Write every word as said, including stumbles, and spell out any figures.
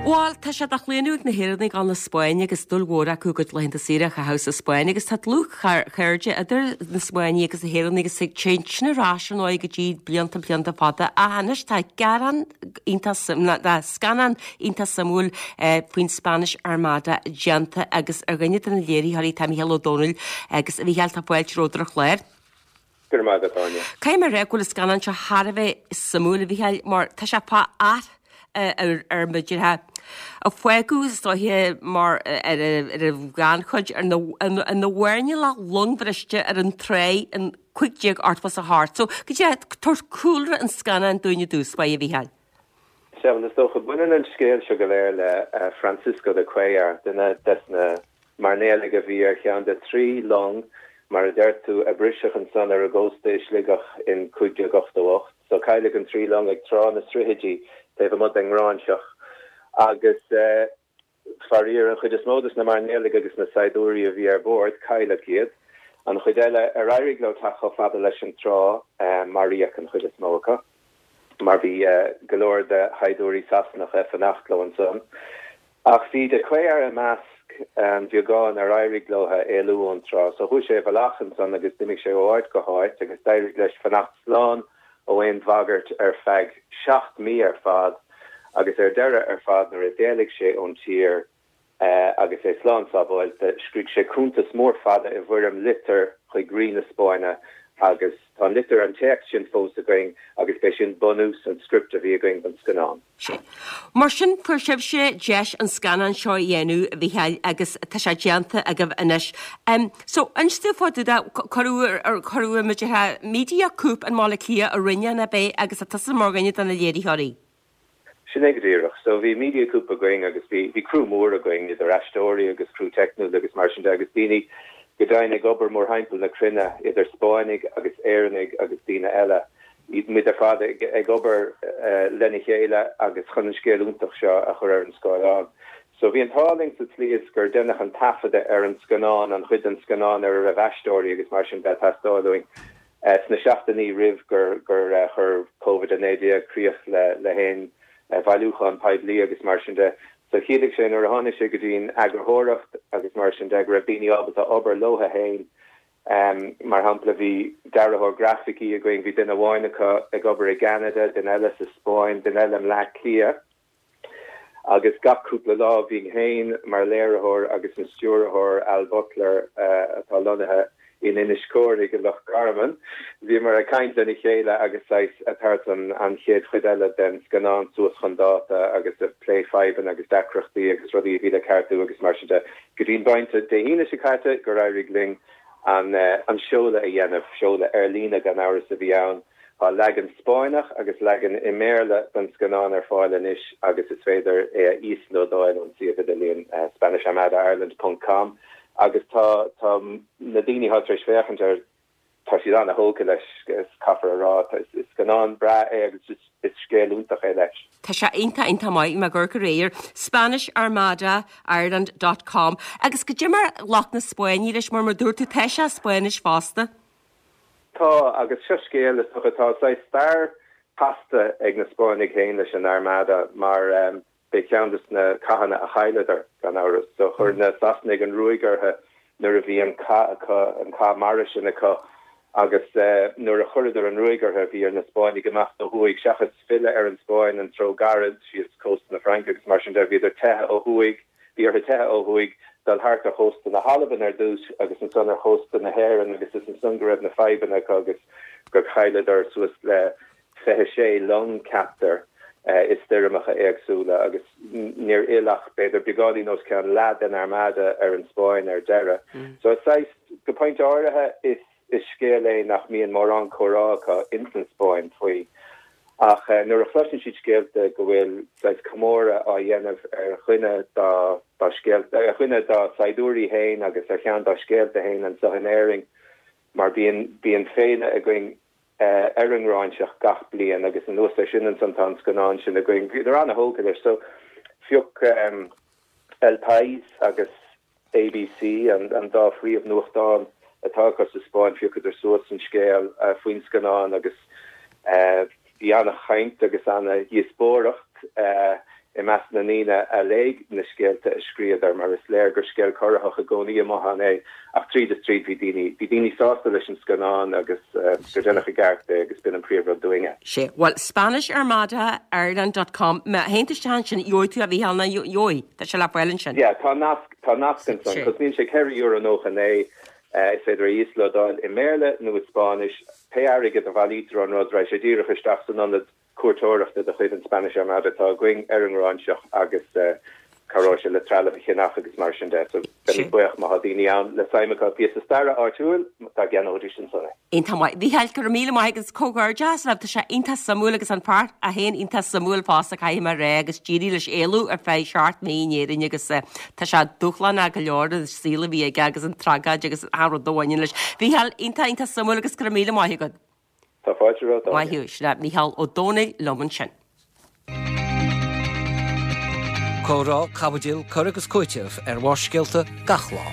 Bhuel, tá sé de chlaonadh ag na hÉireannaigh dul na Spáinne agus dúil mhór acu a gcuid laethanta saoire a chaitheamh sa Spáinn agus tá dlúthchairde idir na Spáinnigh agus na hÉireannaigh agus ag téann sin ar ais ar ndóigh go dtí blianta blianta fada ach anois tá gearán iontach tá scannán iontach suimiúil faoin Spanish Armada déanta agus ar dhuine de na léiritheoirí tá Mícheál Ó Domhnaill agus a Mhícheáil tá fáilte romhat ar an chlár. Go raibh maith agat, Áine. Caithfidh mé a rá go bhfuil an scannán seo thar a bheith suimiúil a Mhícheáil mar tá sé fá ath ar ar muidirthe a fágadh is dóiche mar ar ar a ghannchuid ar na na mhairnéalaigh longbhriste ar an tráigh in cúig déag ochtó is a hocht. So go dtí tabhair cúlra an scannáin dúinn i dtús báire a Mhícheáil. Sea, is dócha baineann an scéal seo go léir le uh, Francisco de Cuellar, duine des na mairnéalaigh a bhí ar cheann de trí long mar a deir tú a briseadh ansan ar an gcósta i Sligeach in cúig déag ochtó ocht, so cailleadh an trí long ag Trá na Srithaidí taobh amuigh den nGráinseach agus uh, faraor an chuid is mó des na mairnéalaigh agus na saighdiúirí a bhí ar bord cailleadh iad. An chuid eile ar éirigh leo teacht chomh fada leis an trá uh, maraíodh an chuid is mó acu. mar bhí uh, go leor de shaighdiúirí Sasanacha ag fanacht leo ansan. Ach bhí de Cuellar i measc an bheagán ar éirigh leo éalú ón trá, so chuaigh sé i bhfolach ansan agus d'imigh sé ó áit go háit agus d'éirigh leis fanacht slán ó aon bhagairt ar feadh seacht mí ar fad agus ar deireadh ar fad nuair a d'éalaigh sé ón tír uh, agus é slán sábháilte scrígh sé cuntas mór fada i bhfoirm litir chuig rí na Spáinne agus tá litir an téacs sin fós againn agus b'é sin bunús an script a bhí againn don scannán. Sé. Mar sin fuair sibhse deis an scannán seo a dhéanamh a Mhícheáil agus tá sé déanta agaibh anois. Um, so inis dúinn fá dtaobh de cuireadh cuireadh muidirthe Mediacoop i mBaile Átha Cliath a rinne an bé agus a tusa mar dhuine de na léiritheoirí. Sin é go díreach, so bhí Mediacoop againn agus bhí bhí crew mór againn idir aisteoirí agus crew teicniúil agus mar sin de agus daoine go deimhin ag obair mórthimpeall na cruinne idir Spáinnigh agus Éireannaigh agus daoine eile. Iad muid ar fad ag, ag obair uh, lena chéile agus chun an scéal iontach seo a chur ar an scáileán. So bhí an t-ádh linn sa tslí is gur deineadh an taifeadadh ar an scannán an chuid den scannán ar a raibh aisteoirí agus mar sin ag teastáil uainn. Uh, sna seachtainí roimh gur gur uh, chuir COVID a naoi déag críoch le le haon uh, bhailiúchán poiblí agus mar sin de. So chiallaigh sé nuair a tháinig sé go dtí'n eagarthóireacht agus mar sin de go raibh daoine ábalta obair leo féin. Um, mar shampla bhí dearthóir grafaicí againn bhí duine amháin acu ag obair i gCeanada, duine eile sa Spáinn, duine eile i mBleá Cliath. Agus gach cúpla lá bhí féin mar léiritheoir agus an stiúrthóir Al Butler uh, atá lonnaithe in Inis Córthaidh i Loch Garman. Bhí mar ag caint lena chéile agus ag tabhairt an an chéad chuid eile den scannán suas chun dáta agus ag plé fadhbanna agus deacrachtaí agus rudaí bhí le ceartú agus mar sin de go dtí'n bpointe Dé hAoine seo caite gur éirigh linn an uh, an seoladh a dhéanamh seoladh ar líne gan amhras a bhí ann. Tá leagan Spáinneach agus leagan i mBéarla den scannán ar fáil anois agus is féidir é a íoslódáil ón suíomh idirlín uh, SpanishArmadaIreland.com agus tá tá na daoine atá tar éis féachaint air tá siad an-tógtha leis is caithfear a rá is scannán breá é agus is, is scéal iontach é leis. Tá sé iontach iontach maith me gur go réir Spanish Armada Ireland.com agus goidé mar a ghlac na Spáinnigh leis mar mar dúirt tú tá sé Spáinnis fosta. Tá agus seo scéal is atá sé stair chasta ag na Spáinnigh féin leis an Armada mar um, b'é ceann des na cathanna a chailleadar gan amhras so chuir na Sasanaigh an ruaig orthu nuair a bhí an cath acu an cath mara sin acu agus uh, nuair a chuireadar an ruaig orthu bhí ar na Spáinnigh imeacht ó thuaidh seachas filleadh ar an Spáinn an treo gairid síos cósta na Fraince agus mar sin de bhíodar teitheadh ó thuaidh bhí orthu teitheadh ó thuaidh dul thart ar chósta na hAlban ar dtús agus ansan ar chósta na hÉireann agus is ansan go raibh na fadhbanna acu agus gur chailleadar suas le fiche sé long ceaptar uh, i stoirmeacha éagsúla agus níor fhill ach b'fhéidir beagáinín os cionn leath den armada ar an Spáinn ar deireadh. Mm. So is go pointe áirithe is is scéal é nach mbíonn mórán comhrá acu ins an Spáinn faoi. Ach uh, nuair a chloiseann siad scéalta go bhfuil saghas comóradh á dhéanamh ar dhuine dá dá scéalta ar dhuine dá saighdiúirí féin agus ar cheann dá scéalta féin anseo in Éirinn mar bíonn bíonn féile againn uh, ar an nGráinseach gach bliain agus anuas air sin ansan tá an scannán sin againn bhíodar an-tógtha leis so phioc um, El País agus ABC an, an dá phríomhnuachtán atá acu sa Spáinn phiocadar suas an scéal uh, faoin scannán agus uh, bhí an-chaint agus an-dhíospóireacht uh, i measc na ndaoine a léigh na scéalta a scríobhadar mar is léir gur scéal corraitheach i gcónaí amuigh ann é ach tríd is tríd bhí daoine bhí daoine sásta leis an scannán agus gur deineadh i gceart é agus b'in an príomhrud dúinne. Sea, bhuel Spanish Armada Ireland dot com má théann tú isteach ansin gheobhaidh tú a Mhícheáil nó gheobhaidh, tá sé le fáil ansin. Yeah, tá nasc tá nasc ansan, cosnaíonn sé ceithre euro nócha naoi, is féidir é a íoslódáil i mBéarla nó i Spáinnis, pé airgead a bhailítear ón rud raghaidh sé díreach isteach san ionad cuairteoireachta de chuid an Spanish Armada atá againn ar an nGráinseach agus cabhróidh sé le trealamh a cheannach agus mar sin de. So beimid buíoch má tá daoine ann le suim acu i bpíosa staire áitiúil dá gceannóidís ansan é. Iontach maith. Mhícheáil, go raibh míle maith agat agus comhghairdeas leat, tá sé iontach suimiúil agus an fear é féin iontach suimiúil fosta caithfidh mé a rá agus d'éirigh leis éalú ar feadh seacht mí in Éirinn agus tá sé dúshlánach go leor an saol a bhí aige agus an tragóid agus an rud a bhaineann leis. Mhícheáil, iontach iontach suimiúil agus go raibh míle maith agat. Tá fáilte romhat, Áine. Maith thú. Sin é Mícheál Ó Domhnaill liom ansin. Comhrá, caibidil, cur agus cúiteamh ar Bharrscéalta gach lá.